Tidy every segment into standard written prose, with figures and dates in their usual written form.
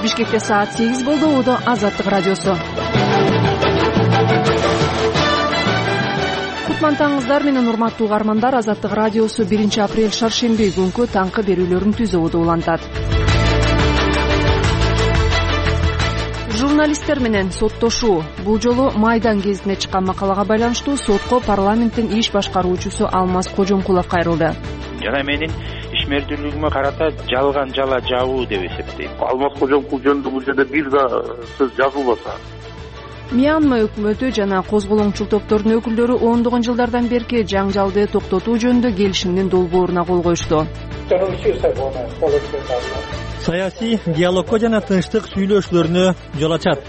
Бишкекте саат 8 болду. Убада Азаттык радиосу. Кутмантаңыздар менен урматтуу угармандар. Азаттык радиосу 1 апрель шаршемби күнкү таңкы берүүлөрүн түзүүдө улантат. Журналисттер менен соттошуу. Бул жолу Майдан гезитине чыккан макалага байланыштуу сотко парламенттин иш башкаруучусу Алмаз Кожомкулов кайрылды. Жана менин ишмердүүлүгүмө карата жалган жала жабуу деп эсептейм. Алмаз Кожомкулов жөнүндө бул жерде бир да сөз жазылбаса. Мьянма өкмөтү жана козголоңчул топтордун өкүлдөрү ондогон жылдардан берки жаңжалды токтотуу жөнүндө келишимдин долбооруна кол коюшту. Саясий диалогко жана тынчтык сүйлөшүүлөрүнө жол ачат.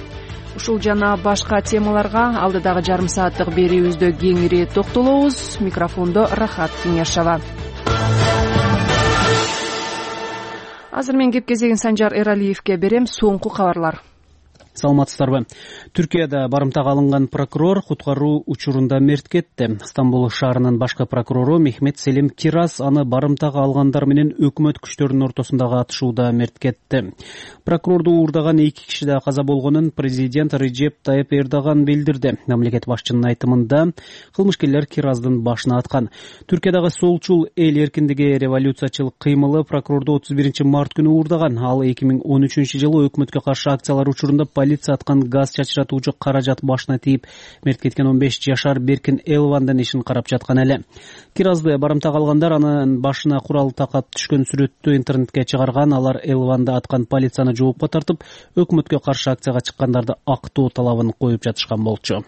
Ушул жана башка темаларга алдыдагы жарым сааттык берүүбүздө кеңири токтолобуз. Микрофондо Рахат Кеңешова. Азыр мен кеп кезегин Санжар Эралиевке берем. Соңку кабарлар. Саламатсыздарбы? Түркияда барымтага алынган прокурор куткаруу учурунда мерт кетти. Стамбул шаарынын башкы прокурору Мехмет Селим Кирас аны барымтага алгандар менен өкмөт күчтөрүнүн ортосундагы атышууда мерт кетти. Прокурорду уурдаган 2 киши да каза болгонун президент Реджеп Тайып Эрдоган билдирди. Мамлекет башчынын айтымында кылмышкерлер Кираздын башына аткан. Түркиядагы солчул эл эркиндиги революциячыл кыймылы прокурорду 31 март күнү уурдаган. Ал 2013 жылы өкмөткө каршы акциялар учурунда полиция аткан газ чачыратуучу каражат башына тийип мерт кеткен 15 жашар Беркин Элвандын ишин карап жаткан эле. Киразды барымтага алгандар анын башына курал такап түшкөн сүрөттү интернетке чыгарган. Алар Элванды аткан полицияны жоопко тартып, өкмөткө каршы акцияга чыккандарды актоо талабын коюп жатышкан болчу.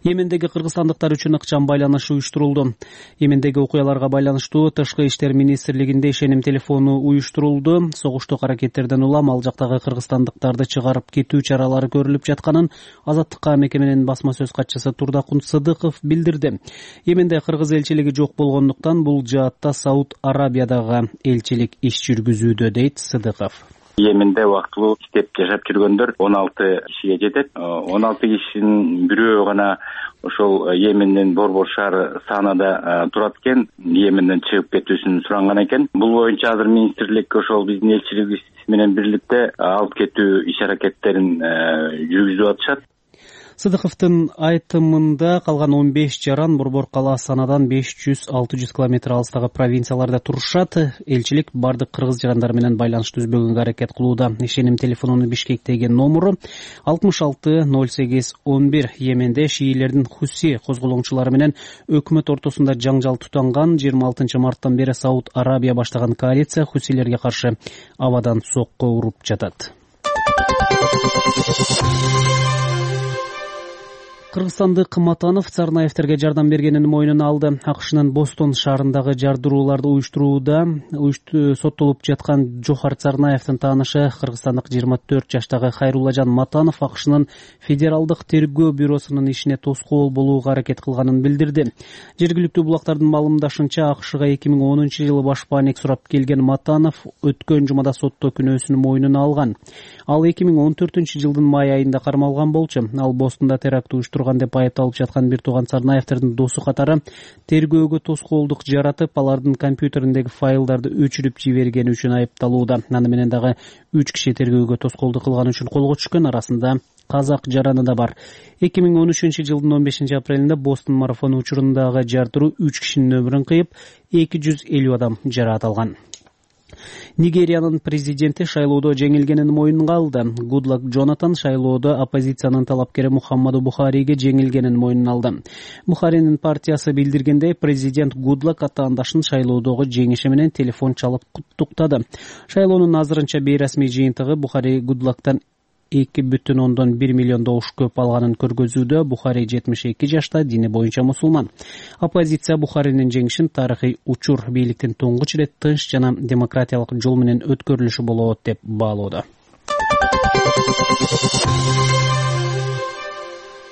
Йемендеги кыргызстандыктар үчүн ыкчам байланыш уюштурулду. Йемендеги окуяларга байланыштуу Тышкы иштер министрлигинде ишеним телефону уюштурулду. Согуштук аракеттерден улам ал жактагы кыргызстандыктарды чыгарып кетүү чаралары көрүлүп жатканын Азаттыкка мекеменин басма сөз катчысы Турдакун Сыдыков билдирди. Йеменде кыргыз элчилиги жок болгондуктан бул жаатта Сауд Арабиядагы элчилик иш жүргүзүүдө, дейт Сыдыков. Йеменде убактылуу иштеп жашап жүргөндөр 16 кишиге жетет. 16 кишинин бирөө гана ошол Йемендин борбор шаары Санада турат экен. Йеменден чыгып кетүүсүн суранган экен. Бул боюнча азыр министрлик ошол биздин элчилигибиз менен бирликте алып кетүү иш аракеттерин жүргүзүп атышат. Сыдыковдун айтымында калган 15 жаран борбор кала Санадан 500-600 километр алыстагы провинцияларда турушат. Элчилик бардык кыргыз жарандар менен байланыш түзбөгөнгө аракет кылууда. Ишеним телефонунун Бишкектеги номуру 660811. Йеменде шиилердин Хуси козголоңчулары менен өкмөт ортосунда жаңжал тутанган. 26 марттан бери Сауд Арабия баштаган коалиция Хусилерге каршы абадан сокко уруп жатат. Кыргызстандык Матанов Царнаевтерге жардам бергенин мойнуна алды. АКШнын Бостон шаарындагы жардырууларды уюштурууда соттолуп жаткан Жохар Царнаевдин таанышы кыргызстандык 24 жаштагы Хайруллажан Матанов АКШнын Федералдык тергөө бюросунун ишине тоскоол болууга аракет кылганын билдирди. Жергиликтүү булактардын маалымдашынча АКШга 2010 жылы башпаанек сурап келген Матанов өткөн жумада сотто күнөөсүн мойнуна алган. Ал 2014 жылдын май айында кармалган болчу. Ал Бостонда теракт уюштурган деп айыпталып жаткан бир тууган Царнаевтердин досу катары тергөөгө тоскоолдук жаратып, алардын компьютериндеги файлдарды өчүрүп жибергени үчүн айыпталууда. Аны менен дагы 3 киши тергөөгө тоскоолдук кылган үчүн колго түшкөн. Арасында казак жараны да бар. 2013 жылдын 15 апрелинде Бостон марафону учурундагы жардыруу 3 кишинин өмүрүн кыйып, 250 адам жараат алган. Нигериянын президенти шайлоодо жеңилгенин мойнуна алды. Гудлак Джонатан шайлоодо оппозициянын талапкери Мухаммаду Бухариге жеңилгенин мойнуна алды. Бухаринин партиясы билдиргендей, президент Гудлак атаандашын шайлоодогу жеңиши менен телефон чалып куттуктады. Шайлоонун азырынча бейрасмий жыйынтыгы Бухари Гудлактан 2,1 миллион добуш көп алганын көргөзүүдө. Бухари 72 жашта, дини боюнча мусулман. Оппозиция Бухаринин жеңишин тарыхый учур, бийликтин туңгуч ирет тынч жана демократиялык жол менен өткөрүлүшү болот деп баалоодо.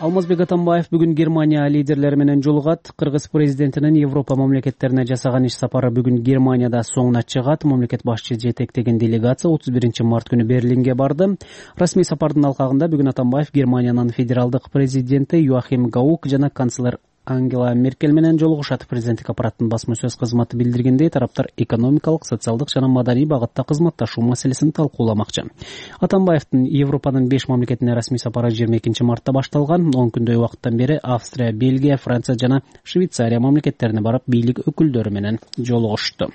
Алмазбек Атамбаев бүгүн Германия лидерлери менен жолугат. Кыргыз президентинин Европа мамлекеттерине жасаган иш сапары бүгүн Германияда соңуна чыгат. Мамлекет башчы жетектеген делегация 31 март күнү Берлинге барды. Расмий сапардын алкагында бүгүн Атамбаев Германиянын федералдык президенти Йоахим Гаук жана канцлер Ангела Меркель менен жолугушат. Президенттик аппараттын басма сөз кызматы билдиргендей, тараптар экономикалык, социалдык жана маданий багытта кызматташуу маселесин талкууламакчы. Атамбаевдин Европанын 5 мамлекетине расмий сапары 22 мартта башталган. 10 күндөй убакыттан бери Австрия, Бельгия, Франция жана Швейцария мамлекеттерине барып, бийлик өкүлдөрү менен жолугушту.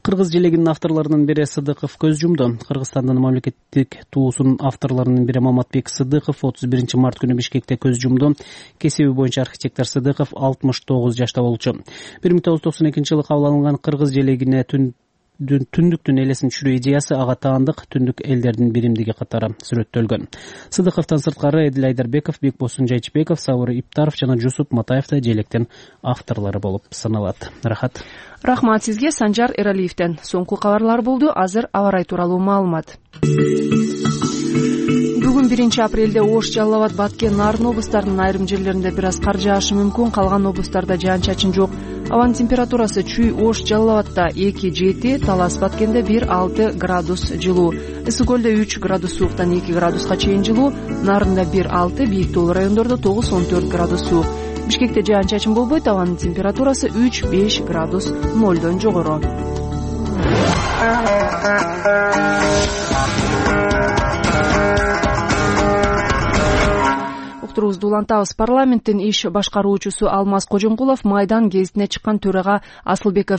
Кыргыз желегинин авторлорунун бири Сыдыков көз жумду. Кыргызстандын мамлекеттик туусунун авторлорунун бири Маматбек Сыдыков 31 март күнү Бишкекте көз жумду. Кесиби боюнча архитектор Сыдыков 69 жашта болчу. 1992 жылы кабыл алынган Кыргыз желегине түндүктүн элесин түшүрүү идеясы ага таандык түндүк элдердин биримдиги катары сүрөттөлгөн. Сыдыковдон сырткары Эдил Айдарбеков, Бекбосун Жайчыбеков, Сабыр Иптаров жана Жусуп Матаев да желектин авторлору болуп саналат. Рахмат сизге. Санжар Эралиевден соңку кабарлар болду. Азыр аба ырайы тууралуу маалымат. Бүгүн 1 апрелде Ош, Жалал Абад, Баткен, Нарын облустарынын айрым жерлеринде бир аз кар жаашы мүмкүн. Калган облустарда жаан-чачын жок. Абанын температурасы Чүй, Ош, Жалал Абадда 2-7, Талас, Баткенде 1-6 градус жылуу. Ысык көлдө 3 градус сууктан 2 градуска чейин жылуу. Нарында 1-6, бийик тоолуу райондордо 9-14 градус суук. Бишкекте жаан-чачын болбойт. Абанын температурасы 3-5 градус нолдон жогору. Уктурубузду улантабыз. Парламенттин иш башкаруучусу Алмаз Кожомкулов Майдан гезитине чыккан төрага Асылбек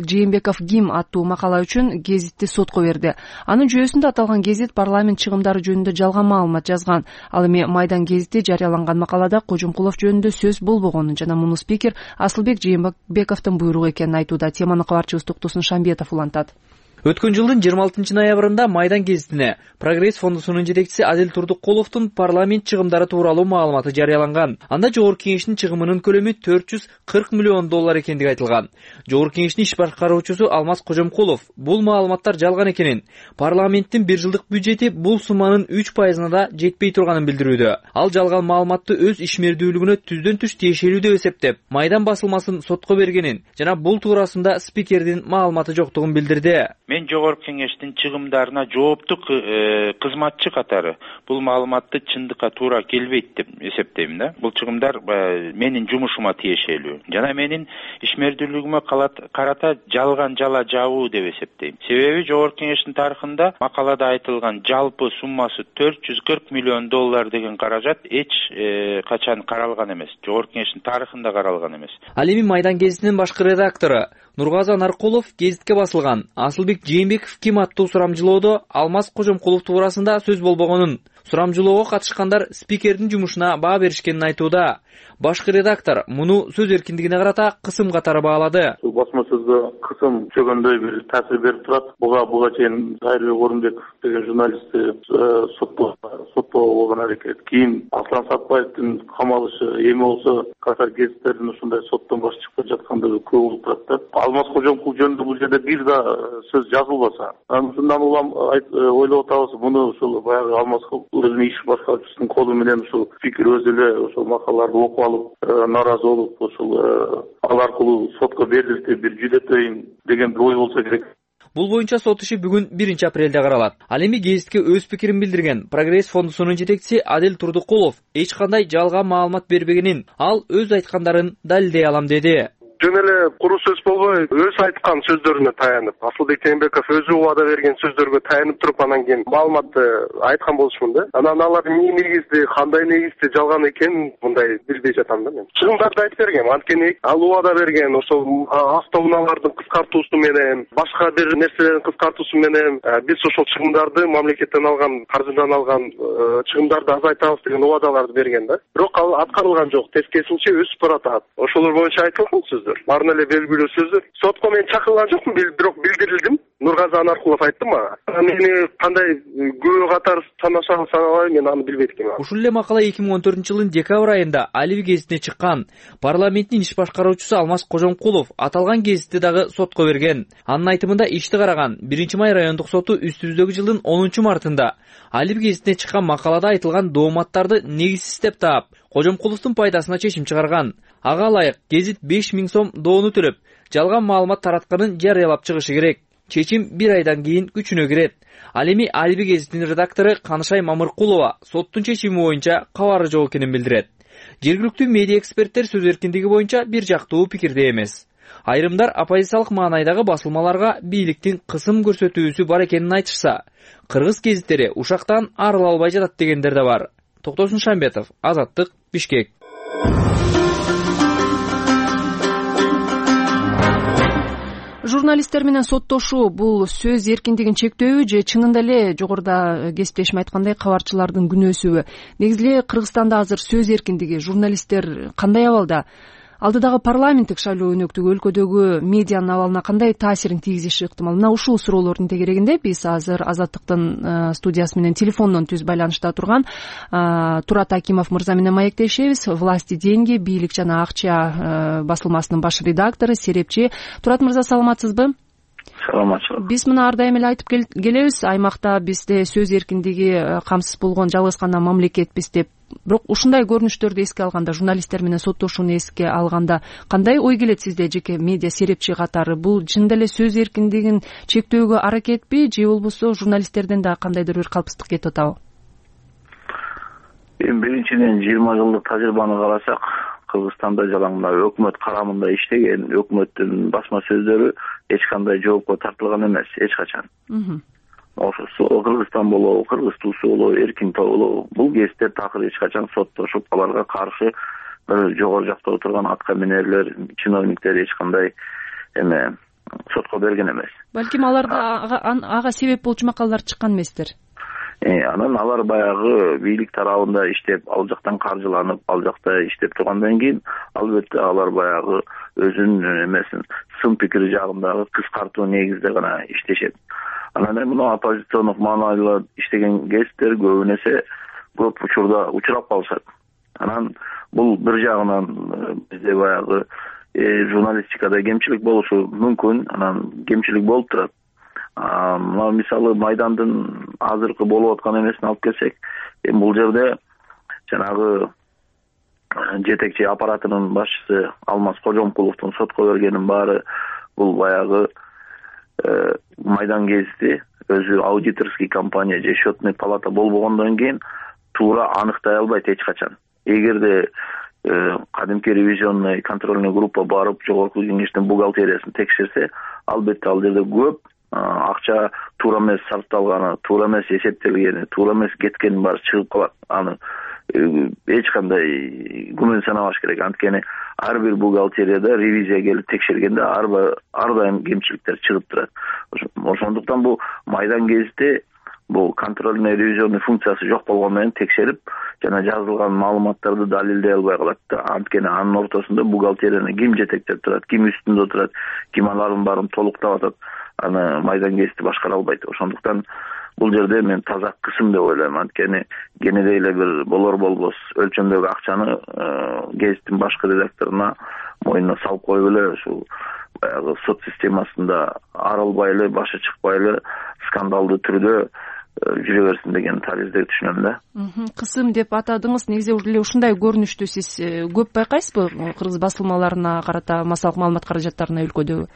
Жээнбеков КИМ аттуу макала үчүн гезитти сотко берди. Анын жүйөсүндө аталган гезит парламент чыгымдары жөнүндө жалган маалымат жазган. Ал эми Майдан гезити жарыяланган макалада Кожомкулов жөнүндө сөз болбогонун жана муну спикер Асылбек Жээнбековдун буйругу экенин айтууда. Теманы кабарчыбыз Токтосун Шамбетов улантат. Өткөн жылдын 26 ноябрында Майдан гезитине Прогресс фондусунун жетекчиси Адил Турдукуловдун парламент чыгымдары тууралуу маалыматы жарыяланган. Анда Жогорку Кеңештин чыгымынын көлөмү $440 миллион экендиги айтылган. Жогорку Кеңештин иш башкаруучусу Алмаз Кожомкулов бул маалыматтар жалган экенин, парламенттин 1 жылдык бюджети бул сумманын 3%-на да жетпей турганын билдирүүдө. Ал жалган маалыматты өз ишмердүүлүгүнө түздөн түз тиешелүү деп эсептеп, Майдан басылмасын сотко бергенин жана бул туурасында спикердин маалыматы жоктугун билдирди. Мен Жогорку Кеңештин чыгымдарына жооптуу кызматчы катары бул маалыматты чындыкка туура келбейт деп эсептейм да. Бул чыгымдар менин жумушума тиешелүү жана менин ишмердүүлүгүмө карата жалган жала жабуу деп эсептейм. Себеби Жогорку Кеңештин тарыхында макалада айтылган жалпы суммасы $440 миллион деген каражат эч качан каралган эмес. Жогорку Кеңештин тарыхында каралган эмес. Ал эми Майдан гезитинин башкы редактору Нургазы Наркулов гезитке басылган Асылбек Жээнбеков КИМ аттуу сурамжылоодо Алмаз Кожомкулов туурасында сөз болбогонун, сурамжылоого катышкандар спикердин жумушуна баа беришкенин айтууда. Башкы редактор муну сөз эркиндигине карата кысым катары баалады. Басма сөзгө кысым чөгөндөй бир таасир берип турат. Буга чейин Айрбек Орунбеков деген журналистти соттоого болгон аракет. Кийин Аслан Сатпаевдин камалышы эми болсо катар гезиттердин ушундай соттон баш чыгып жаткандыгы көп болуп турат да. Алмаз Кожомкулов жөнүндө бул жерде бир да сөз жазылбаса, ушундан улам ойлоп атабыз, муну ушул баягы Алмаз өзүнүн иш башкаруучусунун колу менен ушул спикер өзү эле ошол макалаларды окуп алып, нааразы болуп, ошол ал аркылуу сотко берилди, бир жүдөтөйүн деген бир ой болсо керек. Бул боюнча сот иши бүгүн 1 апрелде каралат. Ал эми гезитке өз пикирин билдирген Прогресс фондусунун жетекчиси Адил Турдукулов эч кандай жалган маалымат бербегенин, ал өз айткандарын далилдей алам деди. Жөн эле куру сөз болбой, өз айткан сөздөрүнө таянып, Асылбек Жээнбеков өзү убада берген сөздөргө таянып туруп анан кийин маалыматты айткан болушмун да. Анан алар эмне негизде, кандай негизде жалган экенин мындай билбей жатам да мен. Чыгымдарды айтып бергем, анткени ал убада берген ошол автоунаалардын кыскартуусу менен, башка бир нерселердин кыскартуусу менен биз ошол чыгымдарды мамлекеттен алган, каржыдан алган чыгымдарды азайтабыз деген убадаларды берген да. Бирок ал аткарылган жок, тескерисинче өсүп баратат. Ошолор боюнча айтылган сөз. Барын эле белгилүү сөздөр. Сотко мен чакырылган жокмун, бирок билдирилдим. Нургазы Наркулов айтты мага. Мени кандай күбө катары санабай, мен аны билбейт экенмин. Ушул эле макала 2014 жылдын декабрь айында Алиби гезитине чыккан. Парламенттин иш башкаруучусу Алмаз Кожомкулов аталган гезитти дагы сотко берген. Анын айтымында ишти караган 1 май райондук соту үстүбүздөгү жылдын 10 мартында Алиби гезитине чыккан макалада айтылган дооматтарды негизсиз деп таап, Кожомкуловдун пайдасына чечим чыгарган. Ага ылайык гезит 5000 сом доону төлөп, жалган маалымат таратканын жарыялап чыгышы керек. Чечим 1 айдан кийин күчүнө кирет. Ал эми Алиби гезитинин редактору Канышай Мамыркулова соттун чечими боюнча кабары жок экенин билдирет. Жергиликтүү медиа эксперттер сөз эркиндиги боюнча бир жактуу пикирде эмес. Айрымдар оппозициялык маанайдагы басылмаларга бийликтин кысым көрсөтүүсү бар экенин айтышса, кыргыз гезиттери ушактан арыла албай жатат дегендер да бар. Токтосун Шамбетов, Азаттык, Бишкек. Журналисттер менен соттошуу бул сөз эркиндигин чектөөбү же чынында эле жогоруда кесиптешим айткандай кабарчылардын күнөөсүбү? Негизи эле Кыргызстанда азыр сөз эркиндиги, журналисттер кандай абалда? Алдыдагы парламенттик шайлоо өнөктүгү өлкөдөгү медианын абалына кандай таасирин тийгизиши ыктымал? Мына ушул суроолордун тегерегинде биз азыр Азаттыктын студиясы менен телефондон түз байланышта турган Турат Акимов мырза менен маектешебиз. Власти деньги, бийлик жана акча басылмасынын баш редактору, серепчи. Турат мырза, саламатсызбы? Саламатчылык. Биз мына ар дайым эле айтып келебиз, аймакта бизде сөз эркиндиги камсыз болгон жалгыз гана мамлекетпиз деп. Бирок ушундай көрүнүштөрдү эске алганда, журналисттер менен соттошууну эске алганда кандай ой келет сизде жеке медиа серепчи катары? Бул чынында эле сөз эркиндигин чектөөгө аракетпи же болбосо журналисттерден да кандайдыр бир калпсыздык кетип атабы? Эми биринчиден 20 жылдык тажрыйбаны карасак, Кыргызстанда жалаңда өкмөт карамында иштеген өкмөттүн басма сөздөрү эч кандай жоопко тартылган эмес, эч качан. Ошо Кыргызстан болобу, Кыргыз туусу болобу, Эркин тоо болобу, бул кесиптер такыр эч качан соттошуп, аларга каршы бир жогору жакта отурган атка минерлер, чиновниктер эч кандай сотко берген эмес. Балким аларда ага себеп болчу макалалар чыккан эместир. Анан алар баягы бийлик тарабында иштеп, ал жактан каржыланып, ал жакта иштеп тургандан кийин албетте алар баягы өзүнүн сын пикири жагындагы кыскартуу негизде гана иштешет. Анан мына оппозициондук маанайлар иштеген кесиптер көбүнесе көп учурда учурап калышат. Анан бул бир жагынан бизде баягы журналистикада кемчилик болушу мүмкүн, анан кемчилик болуп турат. Мына мисалы Майдандын азыркы болуп аткан эмесин алып келсек, бул жерде жанагы жетекчи аппаратынын башчысы Алмаз Кожомкуловдун сотко бергенин баары бул баягы Майдан гезити өзү аудиторский компания же счетный палата болбогондон кийин туура аныктай албайт эч качан. Эгерде кадимки ревизионный контрольный группа барып жогорку кеңештин бухгалтериясын текшерсе, албетте ал жерде көп акча туура эмес сарпталганы, туура эмес эсептелгени, туура эмес кеткени баары чыгып калат. Аны эч кандай күмөн санабаш керек. Анткени ар бир бухгалтерияда ревизия келип текшергенде ар дайым кемчиликтер чыгып турат. Ошондуктан бул Майдан гезити бул контрольный ревизионный функциясы жок болгондон кийин текшерип жана жазылган маалыматтарды далилдей албай калат. Анткени анын ортосунда бухгалтерияны ким жетектеп турат, ким үстүндө турат, ким алардын баарын толуктап атат, аны Майдан гезити башкара албайт. Ошондуктан бул жерде мен таза кысым деп ойлойм. Анткени кенедей эле бир болор болбос өлчөмдөгү акчаны гезиттин башкы редакторуна мойнуна салып коюп эле ушул баягы сот системасында арылбай эле, башы чыкпай эле скандалдуу түрдө жүрө берсин деген тализдеги түшүнөм да. Кысым деп атадыңыз. Негизи эле ушундай көрүнүштү сиз көп байкайсызбы кыргыз басылмаларына карата, массалык маалымат каражаттарына өлкөдөгү?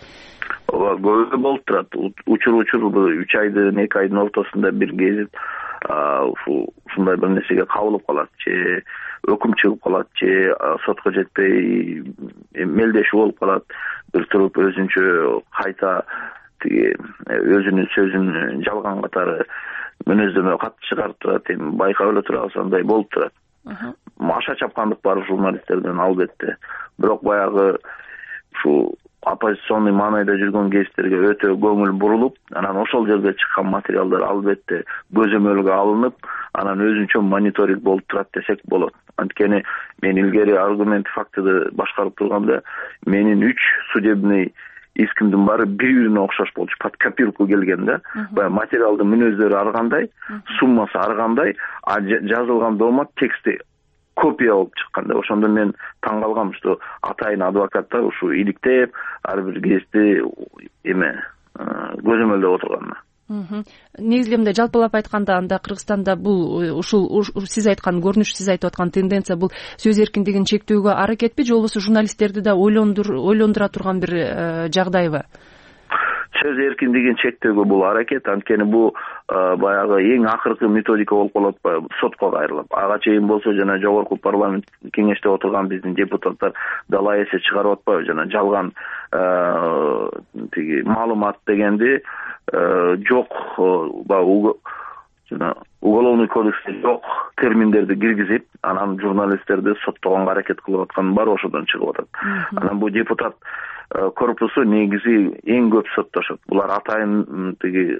Ооба, көбү болуп турат. Учур 3 айдын 2 айдын ортосунда бир гезит ушундай бир нерсеге кабылып калат, же өкүм чыгып калат, же сотко жетпей мелдешүү болуп калат. Бир туруп өзүнчө кайта өзүнүн сөзүн жалган катары мүнөздөмө кат чыгарып турат. Эми байкап эле тура алсаңдай болуп турат. Аша чапкандык бар журналисттерден албетте. Бирок баягы ушу оппозиционный маанайда жүргөн гезиттерге өтө көңүл бурулуп, анан ошол жерде чыккан материалдар албетте көзөмөлгө алынып, анан өзүнчө мониторинг болуп турат десек болот. Анткени мен илгери аргумент фактыды башкарып турганда менин 3 судебный искимдин баары бири-бирине окшош болчу, под копирку келген да. Баягы материалдын мүнөздөрү ар кандай, суммасы ар кандай, жазылган дома тексти копия болуп чыкканда. Ошондо мен таң калгам, что атайын адвокаттар ушу иликтеп ар бир гезитти көзөмөлдөп отурганына. Негизи мындай жалпылап айтканда, анда Кыргызстанда бул ушул сиз айткан көрүнүш, сиз айтып аткан тенденция бул сөз эркиндигин чектөөгө аракетпи же болбосо журналисттерди да ойлондура турган бир жагдайбы? сөз эркиндигин чектөөгө бул аракет. Анткени бул баягы эң акыркы методика болуп калып атпайбы, сотко кайрылып. Ага чейин болсо жана жогорку парламент кеңеште отурган биздин депутаттар дала эсе чыгарып атпайбы, жана жалган тиги маалымат дегенди жок, жана уголовный кодексте жок терминдерди киргизип, анан журналисттерди соттогонго аракет кылып атканын баары ошодон чыгып атат. Анан бул депутат корпусу негизи эң көп соттошот. Булар атайын тиги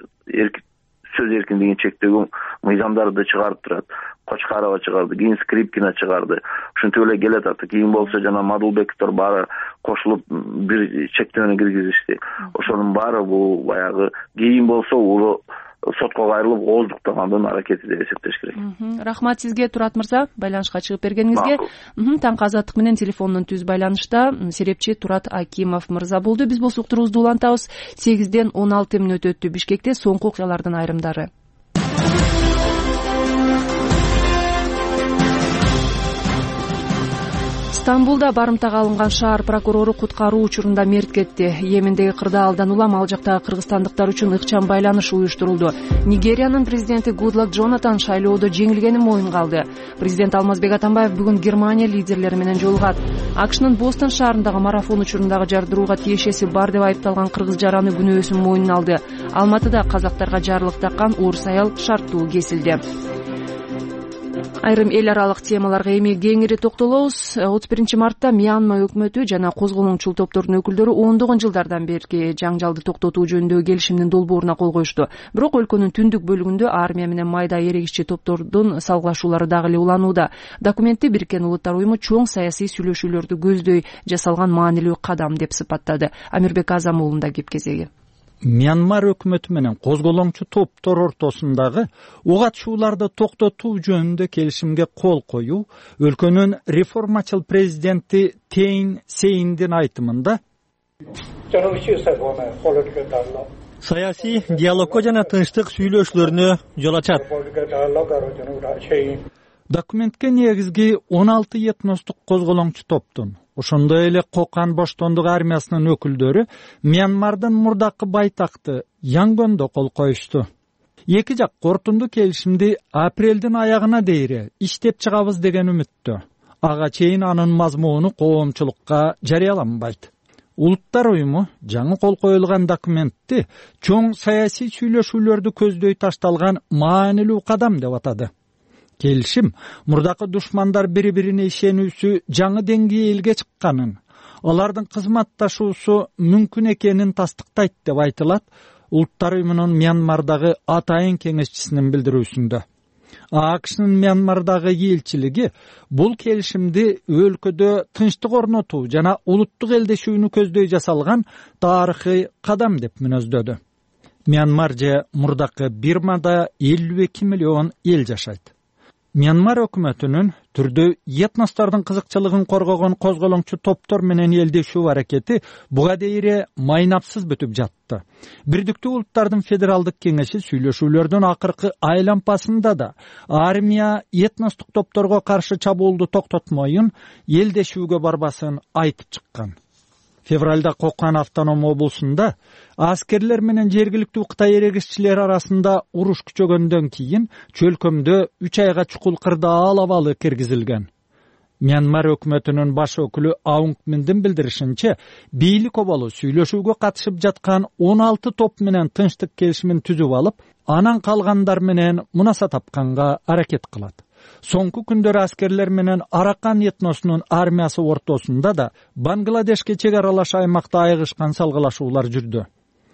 сөз эркиндигин чектөөгө мыйзамдарды чыгарып турат. Кочкарова чыгарды, кийин Скрипкина чыгарды. Ушинтип эле келатат. Кийин болсо жана Мадулбековдор баары кошулуп бир чектөөнү киргизишти. Ошонун баары бул баягы кийин болсо сотко кайрылып ооздуктагандын аракети деп эсептеш керек. Рахмат сизге, Турат мырза, байланышка чыгып бергениңизге. Таңкы Азаттык менен телефондон түз байланышта серепчи Турат Акимов мырза болду. Биз бул суктурубузду улантабыз. 8-ден 16 мүнөт өттү. Бишкекте соңку окуялардын айрымдары. Стамбулда барымтага алынган шаар прокурору куткаруу учурунда мерт кетти. Йемендеги кырдаалдан улам ал жактагы кыргызстандыктар үчүн ыкчам байланыш уюштурулду. Нигериянын президенти Гудлак Джонатан шайлоодо жеңилгенин моюнга алды. Президент Алмазбек Атамбаев бүгүн Германия лидерлери менен жолугат. АКШнын Бостон шаарындагы марафон учурундагы жардырууга тиешеси бар деп айыпталган кыргыз жараны күнөөсүн моюнуна алды. Алматыда казактарга жарлык таккан орус аял шарттуу кесилди. Айрым эл аралык темаларга эми кеңири токтолобуз. 31 мартта Мьянма өкмөтү жана козголоңчул топтордун өкүлдөрү ондогон жылдардан берки жаңжалды токтотуу жөнүндөгү келишимдин долбооруна кол коюшту. Бирок өлкөнүн түндүк бөлүгүндө армия менен майда эрегиччи топтордун салгылашуулары дагы эле уланууда. Документти Бириккен Улуттар уюму чоң саясий сүйлөшүүлөрдү көздөй жасалган маанилүү кадам деп сыпаттады. Амирбек Азам уулунда кеп кезеги. Мьянмар өкмөтү менен козголоңчу топтор ортосундагы ок атышууларды токтотуу жөнүндө келишимге кол коюу өлкөнүн реформачыл президенти Тейн Сейндин айтымында саясий диалогго жана тынчтык сүйлөшүүлөрүнө жол ачат. Документке негизги 16 этностук козголоңчу топтун, ошондой эле Кокан Боштондук армиясынын өкүлдөрү Мьянмардын мурдакы байтакты Янгондо кол коюшту. Эки жак кортунду келишимди апрелдин аягына дейре иштеп чыгабыз деген үмүттө. Ага чейин анын мазмуну коомчулукка жарыяланбайт. Улуттар уюму жаңы кол коюлган документти чоң саясий сүйлөшүүлөрдү көздөй ташталган маанилүү кадам деп атады. Келишим мурдакы душмандар бири-бирине ишенүүсү жаңы деңгээлге чыкканын, алардын кызматташуусу мүмкүн экенин тастыктайт деп айтылат Улуттар уюмунун Мьянмардагы атайын кеңешчисинин билдирүүсүндө. АКШнын Мьянмардагы элчилиги бул келишимди өлкөдө тынчтык орнотуу жана улуттук элдешүүнү көздөй жасалган тарыхый кадам деп мүнөздөдү. Мьянмар же мурдакы Бирмада 52 миллион эл жашайт. Мьянмар өкмөтүнүн түрдүү этностордун кызыкчылыгын коргогон козголоңчу топтор менен элдешүү аракети буга дейре майнапсыз бүтүп жатты. Бирдиктүү Улуттардын Федералдык кеңеши сүйлөшүүлөрдүн акыркы айлампасында да армия этностук топторго каршы чабуулду токтотмоюн, элдешүүгө барбасын айтып чыккан. Февралда Кокан автоном облусунда аскерлер менен жергиликтүү Кытай эрегиччилери арасында уруш күчөгөндөн кийин чөлкөмдө 3 айга чукул кырдаал абалы киргизилген. Мьянмар өкмөтүнүн баш өкүлү Аунг Миндин билдиришинче, бийлик оболу сүйлөшүүгө катышып жаткан 16 топ менен тынчтык келишимин түзүп алып, анан калгандар менен мунаса тапканга аракет кылат. Соңку күндөр аскерлер менен Аракан этносунун армиясы ортосунда да Бангладешке чек аралаш аймакта айыгышкан салгылашуулар жүрдү.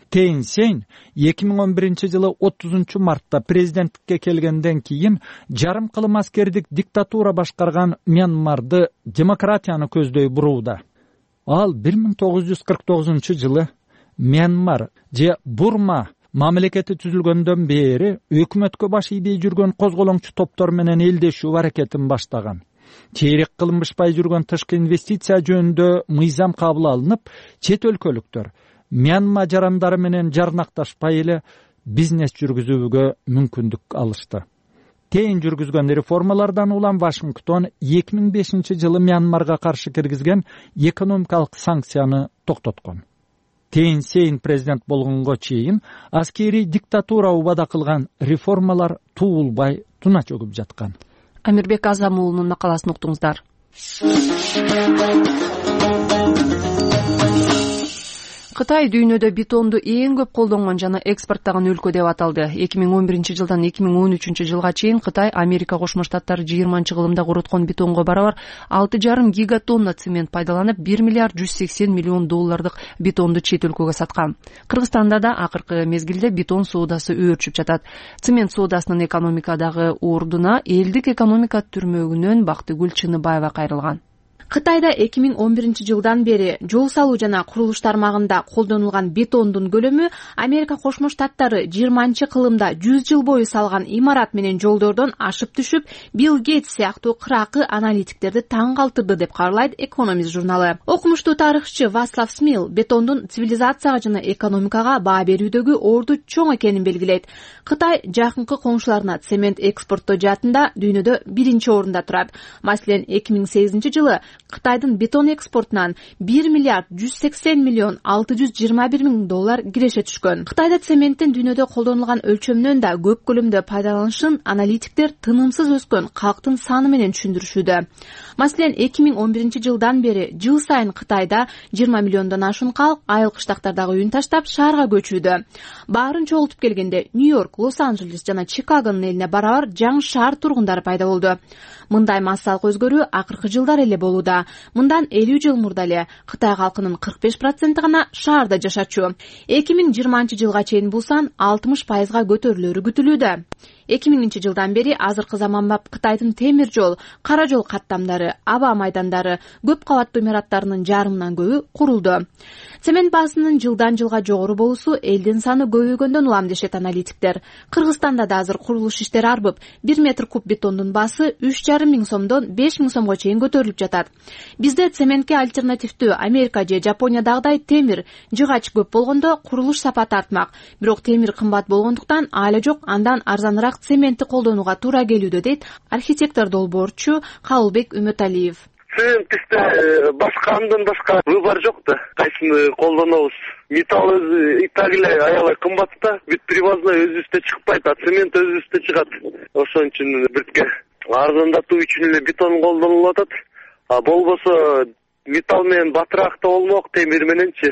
Тейн Сейн 2011-жылы 30 мартта президенттикке келгенден кийин жарым кылым аскердик диктатура башкарган Мьянмарды демократияны көздөй бурууда. Ал 1949-жылы Мьянмар же Бурма мамлекети түзүлгөндөн бери өкмөткө баш ийбей жүргөн козголоңчу топтор менен элдешүү аракетин баштаган. Чейрек кылынбышпай жүргөн тышкы инвестиция жөнүндө мыйзам кабыл алынып, чет өлкөлүктөр Мьянма жарандары менен жарнакташпай эле бизнес жүргүзүүгө мүмкүндүк алышты. Тейин жүргүзгөн реформалардан улам Вашингтон 2005-жылы Мьянмарга каршы киргизген экономикалык санкцияны токтоткон. Тейин Сейн президент болгонго чейин аскерий диктатура убада кылган реформалар туулбай туна чөгүп жаткан. Амирбек Азам уулунун макаласын уктуңуздар. Кытай дүйнөдө бетонду эң көп колдонгон жана экспорттогон өлкө деп аталды. 2011 жылдан 2013 жылга чейин Кытай Америка Кошмо Штаттары 20-кылымда куруткон бетонго барабар 6,5 гигатонна цемент пайдаланып 1 миллиард 180 миллион доллардык бетонду чет өлкөгө саткан. Кыргызстанда да акыркы мезгилде бетон соодасы өөрчүп жатат. Цемент соодасынын экономикадагы ордуна элдик экономика түрмөгүнөн Бактыгүл Чыныбаева кайрылган. Кытайда 2011 жылдан бери жол салуу жана курулуш тармагында колдонулган бетондун көлөмү Америка Кошмо Штаттары 20-кылымда 100 жыл бою салган имарат менен жолдордон ашып түшүп, Билл Гейтс сыяктуу кыракы аналитиктерди таң калтырды деп кабарлайт Экономист журналы. Окумуштуу тарыхчы Васлав Смил бетондун цивилизацияга жана экономикага баа берүүдөгү орду чоң экенин белгилейт. Кытай жакынкы коңшуларына цемент экспорттоо жаатында дүйнөдө 1-орунда турат. Маселен, 2008 жылы Кытайдын бетон экспортунан 1 миллиард 180 миллион 621 миң доллар киреше түшкөн. Кытайда цементтин дүйнөдө колдонулган өлчөмүнөн да көп көлөмдө пайдаланышын аналитиктер тынымсыз өскөн калктын саны менен түшүндүрүшүүдө. Маселен, 2011 жылдан бери жыл сайын Кытайда 20 миллиондон ашуун калк айыл кыштактардагы үйүн таштап шаарга көчүүдө. Баарын чогултуп келгенде Нью-Йорк, Лос-Анджелес жана Чикагонун элине барабар жаңы шаар тургундары пайда болду. Мындай массалык өзгөрүү акыркы жылдар эле болууда. Мындан 50 жыл мурда эле Кытай калкынын 45% гана шаарда жашачу. 2020 жылга чейин бул сан 60%га көтөрүлөрү күтүлүүдө. 2000 жылдан бери азыркы заманбап Кытайдын темир жол, кара жол каттамдары, аба майдандары, көп кабаттуу имараттарынын жарымынан көбү курулду. Цемент баасынын жылдан жылга жогору болуусу элдин саны көбөйгөндөн улам дешет аналитиктер. Кыргызстанда да азыр курулуш иштери арбып, 1 метр куб бетондун баасы 3,5 миң сомдон 5 миң сомго чейин көтөрүлүп жатат. Бизде цементке альтернативдүү Америка же Жапониядагыдай темир, жыгач көп болгондо курулуш сапаты артмак. Бирок темир кымбат болгондуктан айла жок андан арзаныраак цементти колдонууга туура келүүдө, дейт архитектор долбоорчу Кабылбек Үмөталиев. Цементте башка андан башка выбор жок да. Кайсыны колдонобуз? Металл өзү и так эле аябай кымбат да. Бүт привозной өзүбүздө чыкпайт, а цемент өзүбүздө чыгат. Ошон үчүн биртке арзандатуу үчүн эле бетон колдонулуп атат. А болбосо металл менен батыраак да болмок, темир мененчи.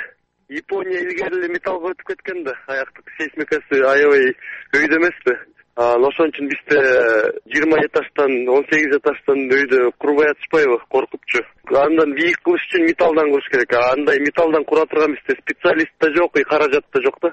Япония илгери эле металлга өтүп кеткен да. Аяктык сейсмикасы аябай өйдө эмеспи? Ошон үчүн бизде 20 этаждан 18 этаждан өйдө курбай атышпайбы, коркупчу. Андан бийик кылыш үчүн металлдан куруш керек. Андай металлдан кура турган бизде специалист да жок, каражат да жок да.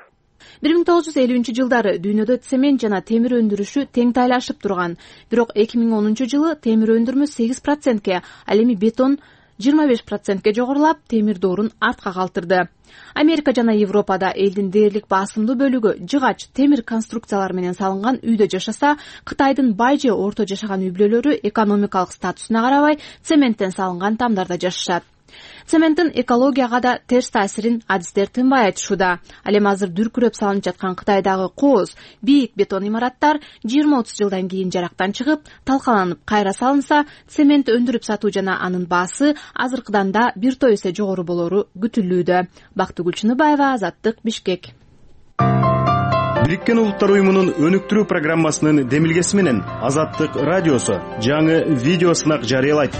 1950 жылдары дүйнөдө цемент жана темир өндүрүшү тең тайлашып турган. Бирок 2010 жылы темир өндүрмө 8%ке, ал эми бетон 25%ке жогорулап, темир доорун артка калтырды. Америка жана Европада элдин дээрлик басымдуу бөлүгү жыгач, темир конструкциялар менен салынган үйдө жашаса, Кытайдын бай же орто жашаган үй бүлөлөрү экономикалык статусуна карабай цементтен салынган тамдарда жашашат. Цементтин экологияга да терс таасирин адистер тынбай айтышууда. Ал эми азыр дүркүрөп салынып жаткан Кытайдагы кооз, бийик бетон имараттар 20-30 жылдан кийин жарактан чыгып, талкаланып кайра салынса, цемент өндүрүп сатуу жана анын баасы азыркыдан да бир топ эсе жогору болору күтүлүүдө. Бактыгүл Чыныбаева, Азаттык, Бишкек. Бириккен Улуттар уюмунун өнүктүрүү программасынын демилгеси менен Азаттык радиосу жаңы видео сынак жарыялайт.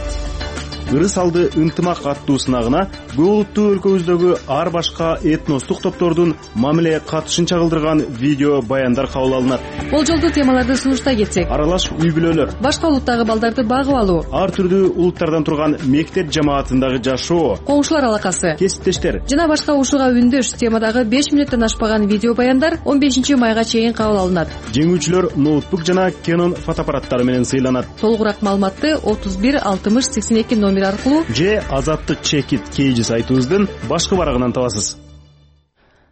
Ырыс алды ынтымак аттуу сынагына көп улуттуу өлкөбүздөгү ар башка этностук топтордун мамиле катышын чагылдырган видео баяндар кабыл алынат. Болжолдуу темаларды сунуштай кетсек: аралаш үй бүлөлөр, башка улуттагы балдарды багып алуу, ар түрдүү улуттардан турган мектеп жамаатындагы жашоо, коңшулар алакасы, кесиптештер жана башка ушуга үндөш темадагы 5 мүнөттөн ашпаган видео баяндар 15 майга чейин кабыл алынат. Жеңүүчүлөр ноутбук жана Canon фотоаппараттары менен сыйланат. Толугураак маалыматты 31 60 82 номер аркылуу же Азаттык Чекит KG сайтыбыздын башкы барагынан табасыз.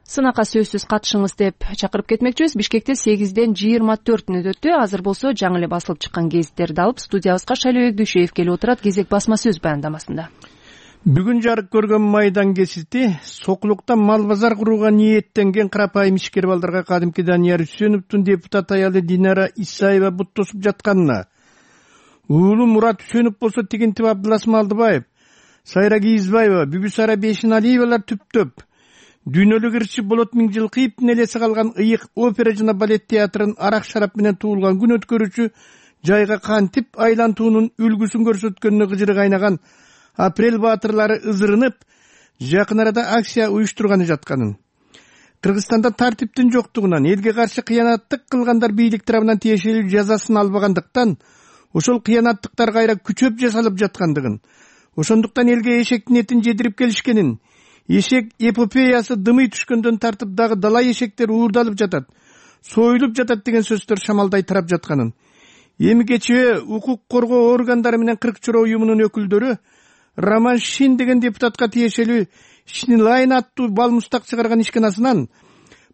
Сынакка сөзсүз катышыңыз деп чакырып кетмекчибиз. Бишкекте 8ден 24 өтөттү. Азыр болсо жаңы эле басылып чыккан гезиттерди алып студиябызга Шайлообек Дүйшөев келип отурат. Кезек басма сөз баяндамасында. Бүгүн жарык көргөн майдан гезити Сокулукта мал базар курууга ниеттенген карапайым ишкер балдарга кадимки Данияр Үсөновдун депутат аялы Динара Исаева бут тосуп жатканына, уулу Мурат Үсөнов болсо Тигинтип Абдыласым Алдыбаев, Сайра Кийизбаева, Бүгүсара Бешиналиевалар түптөп дүйнөлүк ырчы Болот Миңжилкыевдин элеси калган ыйык опера жана балет театрын арак шарап менен туулган күн өткөрүүчү жайга кантип айлантуунун үлгүсүн көрсөткөнүнө кыжыры кайнаган апрель баатырлары ызырынып жакын арада акция уюштурганы жатканын, Кыргызстанда тартиптин жоктугунан, элге каршы кыянаттык кылгандар бийлик тарабынан тиешелүү жазасын албагандыктан ошол кыянаттыктар кайра күчөп жасалып жаткандыгын, ошондуктан элге эшектин этин жедирип келишкенин, эшек эпопеясы дымый түшкөндөн тартып дагы дала эшектер уурдалып жатат, союлуп жатат деген сөздөр шамалдай тарап жатканын, эми кечээ укук коргоо органдары менен Кырк чора уюмунун өкүлдөрү Роман Шин деген депутатка тиешелүү Шинлайн аттуу бал мустак чыгарган ишканасынан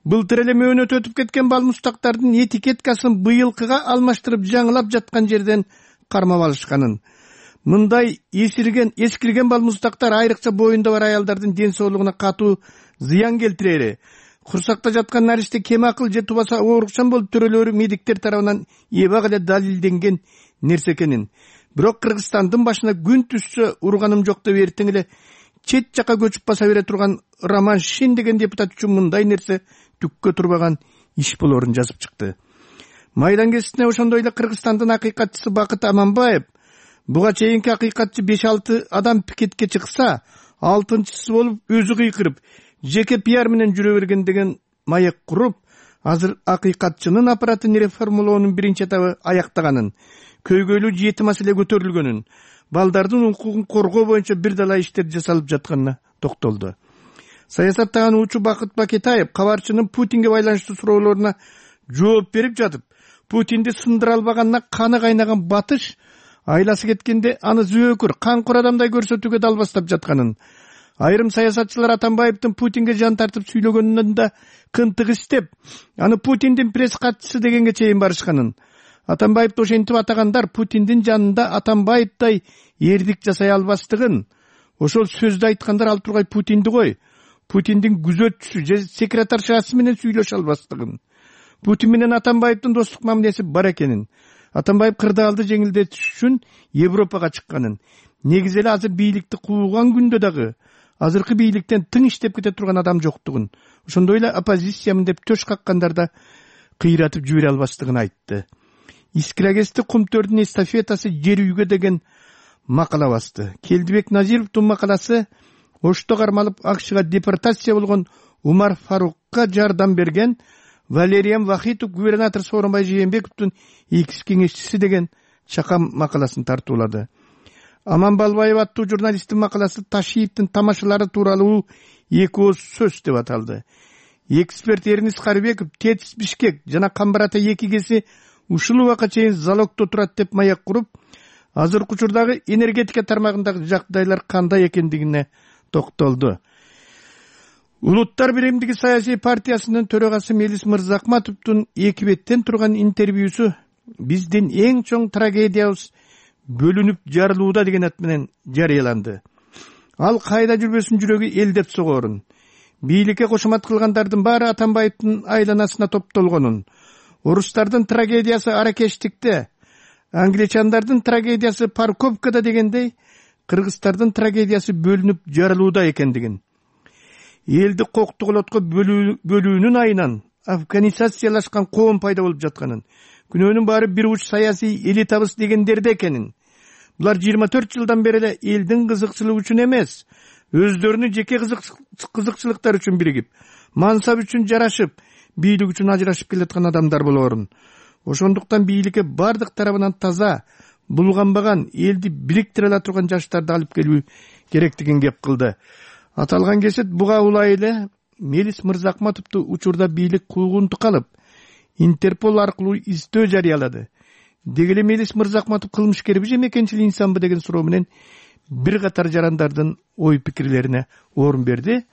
былтыр эле мөөнөтү өтүп кеткен бал мустактардын этикеткасын быйылкыга алмаштырып жаңылап жаткан жерден кармап алышканын, мындай эскирген бал мустактар айрыкча боюнда бар аялдардын ден соолугуна катуу зыян келтирери, курсакта жаткан наристе кем акыл же тубаса оорукчан болуп төрөлөрү медиктер тарабынан эбак эле далилденген нерсе экенин, бирок Кыргызстандын башына күн түшсө урганым жок деп эртең эле чет жака көчүп баса бере турган Роман Шин деген депутат үчүн мындай нерсе түккө турбаган иш болорун жазып чыкты. Майдан кесиптине ошондой эле Кыргызстандын акыйкатчысы Бакыт Аманбаев буга чейинки акыйкатчы 5-6 адам пикетке чыкса, 6-чысы болуп өзү кыйкырып, жеке пиар менен жүрө берген деген маек куруп, азыр акыйкатчынын аппаратын реформалоонун биринчи этабы аяктаганын, көйгөйлүү 7 маселе көтөрүлгөнүн, балдардын укугун коргоо боюнча бир дала иштер жасалып жатканына токтолду. Саясаттаган Бакыт Бакетаев кабарчынын Путинге байланыштуу суроолоруна жооп берип жатып, Путинди сындыра албаганына каны кайнаган батыш айласы кеткенде аны зөөкүр, канкур адамдай көрсөтүүгө далбастап жатканын, айрым саясатчылар Атамбаевдин Путинге жан тартып сүйлөгөнүнөн да кынтык истеп, аны Путиндин пресс катчысы дегенге чейин барышканын, Атамбаевди ошентип атагандар Путиндин жанында Атамбаевдай эрдик жасай албастыгын, ошол сөздү айткандар ал тургай Путинди кой, Путиндин күзөтчүсү же секретаршасы менен сүйлөшө албастыгын, Путин менен Атамбаевдин достук мамилеси бар экенин, Атамбаев кырдаалды жеңилдетиш үчүн Европага чыкканын, негизи эле азыр бийликти кууган күндө дагы азыркы бийликтен тың иштеп кете турган адам жоктугун, ошондой эле оппозициямын деп төш каккандар да кыйратып жибере албастыгын айтты. Искирагести Кумтөрдүн эстафетасы жер үйгө деген макала басты. Келдибек Назировдун макаласы Ошто кармалып АКШга депортация болгон Умар Фарукка жардам берген Валериан Вахитов губернатор Сооронбай Жээнбековдун экс кеңешчиси деген чакам макаласын тартуулады. Аман Балбаев аттуу журналисттин макаласы Ташиевдин тамашалары тууралуу 2 ооз сөз деп аталды. Эксперт Эрнис Карыбеков ТЭЦ Бишкек жана Камбар ата 2 кеси ушул убакка чейин залогдо турат деп маек куруп, азыркы учурдагы энергетика тармагындагы жагдайлар кандай экендигине токтолду. Улуттар биримдиги саясий партиясынын төрагасы Мелис Мырзакматовдун 2 беттен турган интервьюсу биздин эң чоң трагедиябыз бөлүнүп жарылууда деген ат менен жарыяланды. Ал кайда жүрбөсүн жүрөгү эл деп согоорун, бийликке кошомат кылгандардын баары Атамбаевдин айланасына топтолгонун, орустардын трагедиясы аракештикте, англичандардын трагедиясы парковкада дегендей, кыргыздардын трагедиясы бөлүнүп жарылууда экендигин, элди коктуголотко бөлүүнүн айынан афганизациялашкан коом пайда болуп жатканын, күнөөнүн баары бир уч саясий элитабыз дегендерде экенин, булар 24 жылдан бери эле элдин кызыкчылыгы үчүн эмес, өздөрүнүн жеке кызыкчылыктары үчүн биригип, мансап үчүн жарашып, бийлик үчүн ажырашып келаткан адамдар болорун. Ошондуктан бийликке бардык тарабынан таза, булганбаган, элди бириктире ала турган жаштарды алып келүү керектигин кеп кылды. Аталган кесет буга улай эле Мелис Мырзакматовду учурда бийлик куугунтук алып, Интерпол аркылуу издөө жарыялады. Деги эле Мелис Мырзакматов кылмышкерби же мекенчил инсанбы деген суроо менен бир катар жарандардын ой пикирлерине орун берди.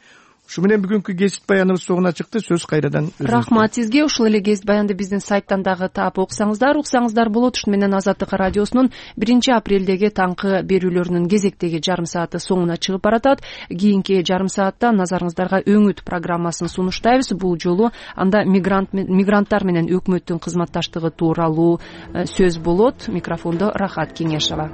Ушу менен бүгүнкү кесип баяныбыз соңуна чыкты. Сөз кайрадан өзүңүздө. Рахмат сизге. Ушул эле кесип баянды биздин сайттан дагы таап уксаңыздар болот. Ушун менен Азаттык радиосунун 1 апрелдеги таңкы берүүлөрүнүн кезектеги жарым сааты соңуна чыгып баратат. Кийинки жарым саатта назарыңыздарга өңүт программасын сунуштайбыз. Бул жолу анда мигранттар менен өкмөттүн кызматташтыгы тууралуу сөз болот. Микрофондо Рахат Кеңешова.